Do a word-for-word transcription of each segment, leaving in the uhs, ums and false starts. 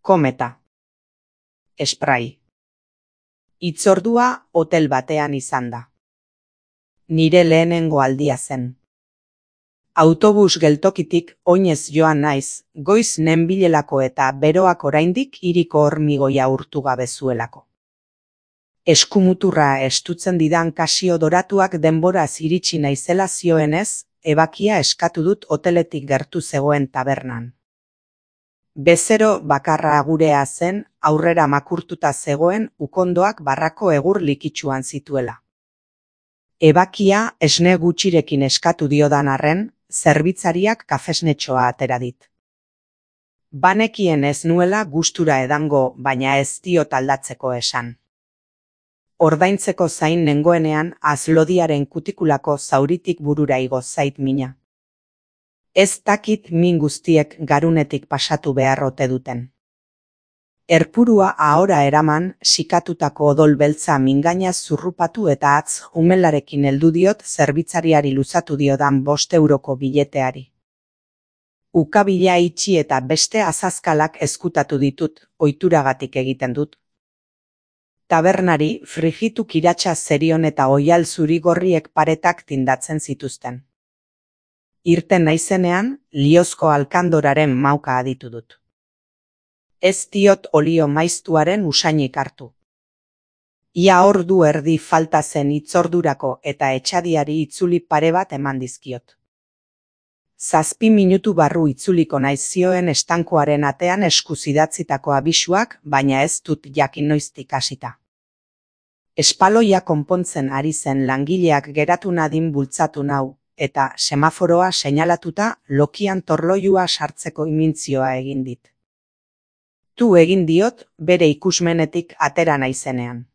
Kometa. Spray. Hitzordua hotel batean izan da. Nire lehenengo aldia zen. Autobus geltokitik oinez joan naiz, goiz nenbilelako eta beroak oraindik hiriko hormigoia urtu gabe zuelako. Eskumuturra estutzen didan kasio doratuak denboraz iritsi naizela zioenez, ebakia eskatu dut hoteletik gertu zegoen tabernan. Bezero bakarra gurea zen, aurrera makurtuta zegoen ukondoak barrako egur likitsuan zituela. Ebakia esne gutxirekin eskatu diodan arren, zerbitzariak kafesnetxoa atera dit. Banekien ez nuela gustura edango, baina ez diot aldatzeko esan. Ordaintzeko zain nengoenean azlodiaren kutikulako zauritik burura igo zait mina. Ez dakit min guztiek garunetik pasatu behar ote duten. Erpurua ahora eraman, sikatutako odol beltza mingainaz zurrupatu eta atz umelarekin heldu diot zerbitzariari luzatu diodan bost euroko bileteari. Ukabila itxi eta beste azazkalak ezkutatu ditut, ohituragatik egiten dut. Tabernari frijitu kiratsa zerion eta oial zurigorriek paretak tindatzen zituzten. Irten naizenean, liozko alkandoraren mauka aditu dut. Ez diot olio maiztuaren usainik hartu. Ia ordu erdi falta zen hitzordurako eta etxadiari itzuli pare bat eman dizkiot. Zazpi minutu barru itzuliko naiz zioen estankoaren atean eskuz idatzitako abisuak, baina ez dut jakin noiztik hasita. Espaloia konpontzen ari zen langileak geratu nadin bultzatu nau, eta semaforoa seinalatuta lokian torloiua sartzeko imintzioa egin dit. Tu egin diot bere ikusmenetik atera naizenean.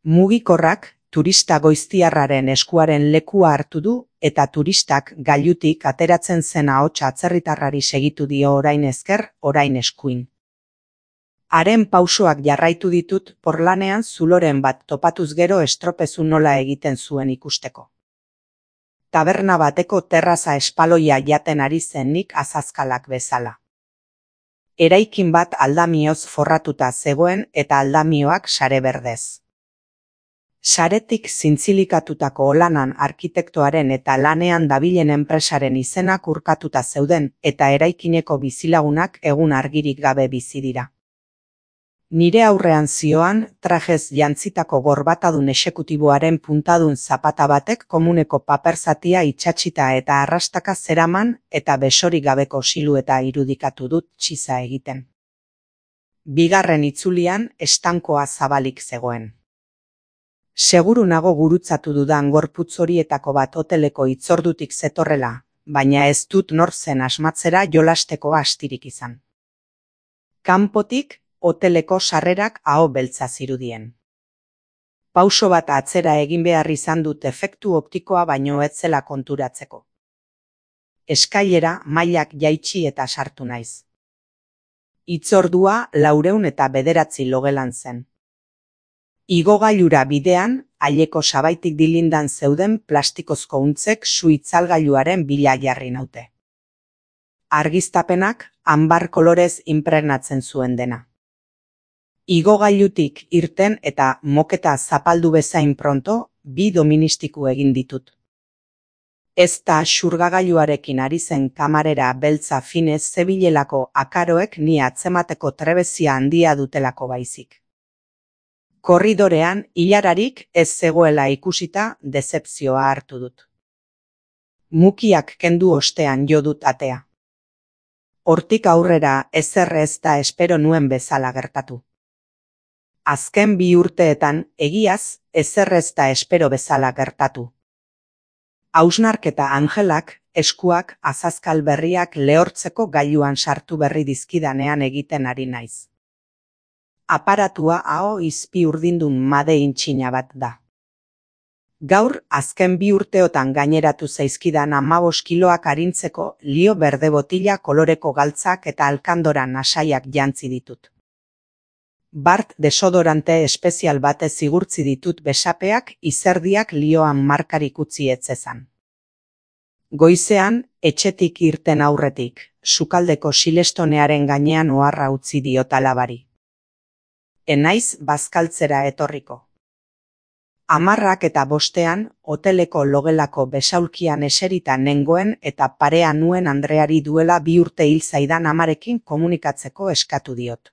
Mugikorrak turista goiztiarraren eskuaren lekua hartu du eta turistak gailutik ateratzen zen ahots atzerritarrari segitu dio orain ezker, orain eskuin. Haren pausoak jarraitu ditut porlanean zuloren bat topatuz gero estropezu nola egiten zuen ikusteko. Taberna bateko terraza espaloia jaten ari zen nik azazkalak bezala. Eraikin bat aldamioz forratuta zegoen eta aldamioak sare berdez. Saretik zintzilikatutako olanan arkitektoaren eta lanean dabilen enpresaren izenak urkatuta zeuden eta eraikineko bizilagunak egun argirik gabe bizi dira. Nire aurrean zioan, trajez jantzitako gorbatadun exekutiboaren puntadun zapata batek komuneko paperzatia itsatsita eta arrastaka zeraman eta besorik gabeko silueta irudikatu dut txiza egiten. Bigarren itzulian estankoa zabalik zegoen. Seguru nago gurutzatu dudan gorputz horietako bat hoteleko hitzordutik zetorrela, baina ez dut nor zen asmatzera jolasteko astirik izan. Kanpotik, hoteleko sarrerak aho beltza zirudien. Pauso bat atzera egin behar izan dut efektu optikoa baino ez zela konturatzeko. Eskailera mailak jaitsi eta sartu naiz. Hitzordua laurehun eta bederatzi logelan zen. Igogailura bidean, aileko sabaitik dilindan zeuden plastikozko untzek su itzalgailuaren bila jarri naute. Argiztapenak anbar kolorez inpregnatzen zuen dena. Igogailutik irten eta moketa zapaldu bezain pronto, bi doministiku egin ditut. Ez da xurgagailuarekin ari zen kamarera beltza finez zebilelako akaroek ni atzemateko trebezia handia dutelako baizik. Korridorean hilararik ez zegoela ikusita dezepzioa hartu dut. Mukiak kendu ostean jo dut atea. Hortik aurrera ezer ez da espero nuen bezala gertatu. Azken bi urteetan egiaz ezer ez da espero bezala gertatu. Hausnarketa Angelak eskuak azazkal berriak lehortzeko gailuan sartu berri dizkidanean egiten ari naiz. Aparatua aho izpi urdindun made intxina bat da. Gaur azken bi urteotan gaineratu zaizkidan hamabost kiloak arintzeko lio berde botila koloreko galtzak eta alkandora nasaiak jantzi ditut. Bart desodorante espezial batez igurtzi ditut besapeak izerdiak lioan markarik utzi etzezan. Goizean, Etxetik irten aurretik, sukaldeko silestonearen gainean oharra utzi diot alabari. Enaiz bazkaltzera etorriko. Hamarrak eta bostean, hoteleko logelako besaulkian eserita nengoen eta parea nuen Andreari duela bi urte hil zaidan amarekin komunikatzeko eskatu diot.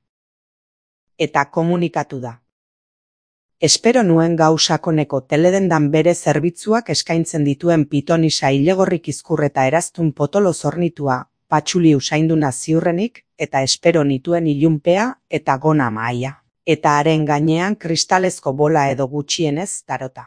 Eta komunikatu da. Espero nuen gausakoneko teledendan bere zerbitzuak eskaintzen dituen pitonisa ilegorrik izkurreta eraztun potolo zornitua, patxuli usainduna ziurrenik, eta espero nituen ilunpea eta gona mahaia, eta haren gainean kristalezko bola edo gutxienez tarota.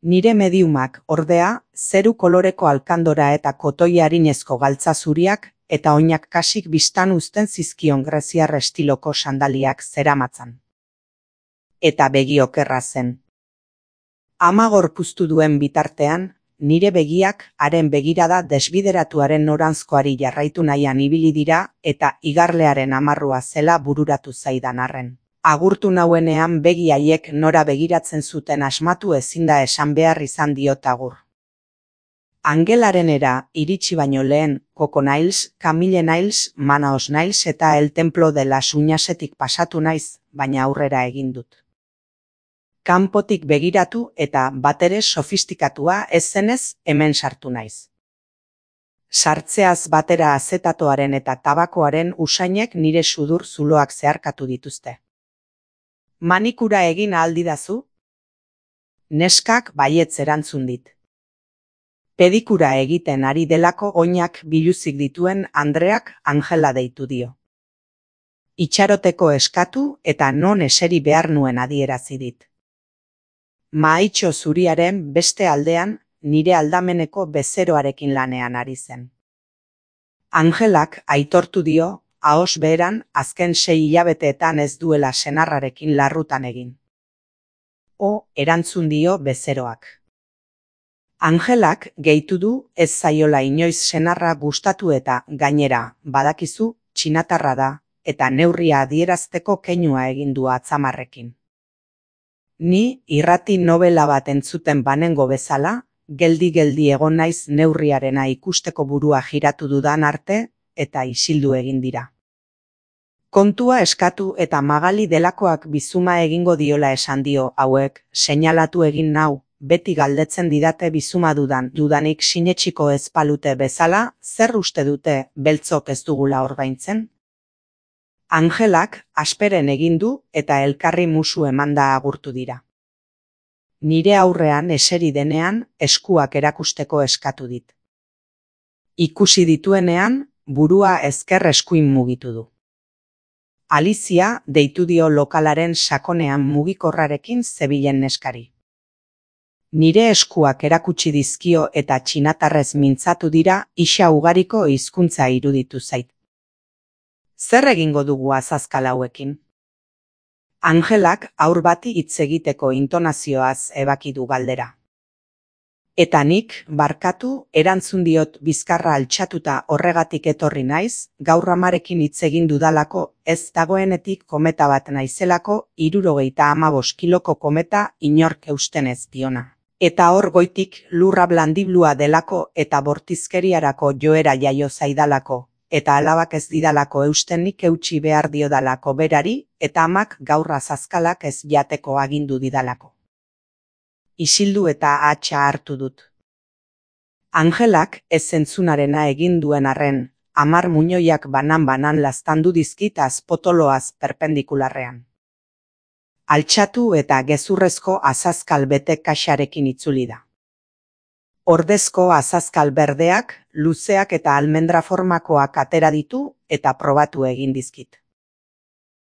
Nire mediumak, ordea, zeru koloreko alkandora eta kotoi harinezko galtza zuriak, eta oinak kasik bistan uzten zizkion greziar estiloko sandaliak zeramatzan. Eta begi okerra zen. Ama gorpuztu duen bitartean, nire begiak haren begirada desbideratuaren noranzkoari jarraitu nahian ibili dira eta igarlearen amarrua zela bururatu zaidan arren. Agurtu nauenean begi haiek nora begiratzen zuten asmatu ezinda esan behar izan diot agur. Angelarenera iritsi baino lehen, Coco Nails, Camille Nails, Manaos Nails eta El Templo de las Uñasetik pasatu naiz, baina aurrera egin dut. Kanpotik begiratu eta batere sofistikatua ez zenez hemen sartu naiz. Sartzeaz batera azetatoaren eta tabakoaren usainek nire sudur zuloak zeharkatu dituzte. Manikura egin ahal didazu? Neskak baietz erantzun dit. Pedikura egiten ari delako oinak biluzik dituen Andreak Angela deitu dio. Itxaroteko eskatu eta non eseri behar nuen adierazi dit. Mahaitxo zuriaren beste aldean nire aldameneko bezeroarekin lanean ari zen. Angelak aitortu dio, ahos beheran azken sei hilabeteetan ez duela senarrarekin larrutan egin. O, erantzun dio bezeroak. Angelak gehitu du ez zaiola inoiz senarra gustatu eta gainera, badakizu, txinatarra da, eta neurria adierazteko keinua egin du atzamarrekin. Ni irrati novela bat entzuten banengo bezala, geldi-geldi egon naiz neurriarena ikusteko burua jiratu dudan arte, eta isildu egin dira. Kontua eskatu eta Magali delakoak bizuma egingo diola esan dio hauek, seinalatu egin nau, beti galdetzen didate bizuma dudan, dudanik sinetsiko ez palute bezala, zer uste dute beltzok ez dugula ordaintzen? Angelak asperen egin du eta elkarri musu emanda agurtu dira. Nire aurrean eseri denean eskuak erakusteko eskatu dit. Ikusi dituenean burua ezker eskuin mugitu du. Alizia deitu dio lokalaren sakonean mugikorrarekin zebilen neskari. Nire eskuak erakutsi dizkio eta txinatarrez mintzatu dira isa ugariko hizkuntza iruditu zait. Zer egingo dugu azazkal hauekin? Angelak aur bati hitz egiteko intonazioaz ebaki du galdera. Eta nik, barkatu, erantzun diot bizkarra altxatuta horregatik etorri naiz, gaur amarekin hitz egin dudalako, ez dagoenetik kometa bat naizelako, hirurogeita hamabost kiloko kometa inork eusten ez diona. Eta hor goitik lurra blandiblua delako eta bortizkeriarako joera jaio zaidalako, eta alabak ez didalako eustenik eutsi behar diodalako berari, eta amak gaur azazkalak ez jateko agindu didalako. Isildu eta atxa hartu dut. Angelak ez zentzunarena egin duen arren, hamar muñoiak banan-banan laztandu dizkitaz potoloaz perpendikularrean. Altxatu eta gezurrezko azazkal bete kaxarekin itzuli da. Ordezko azazkal berdeak, luzeak eta almendra formakoak atera ditu eta probatu egin dizkit.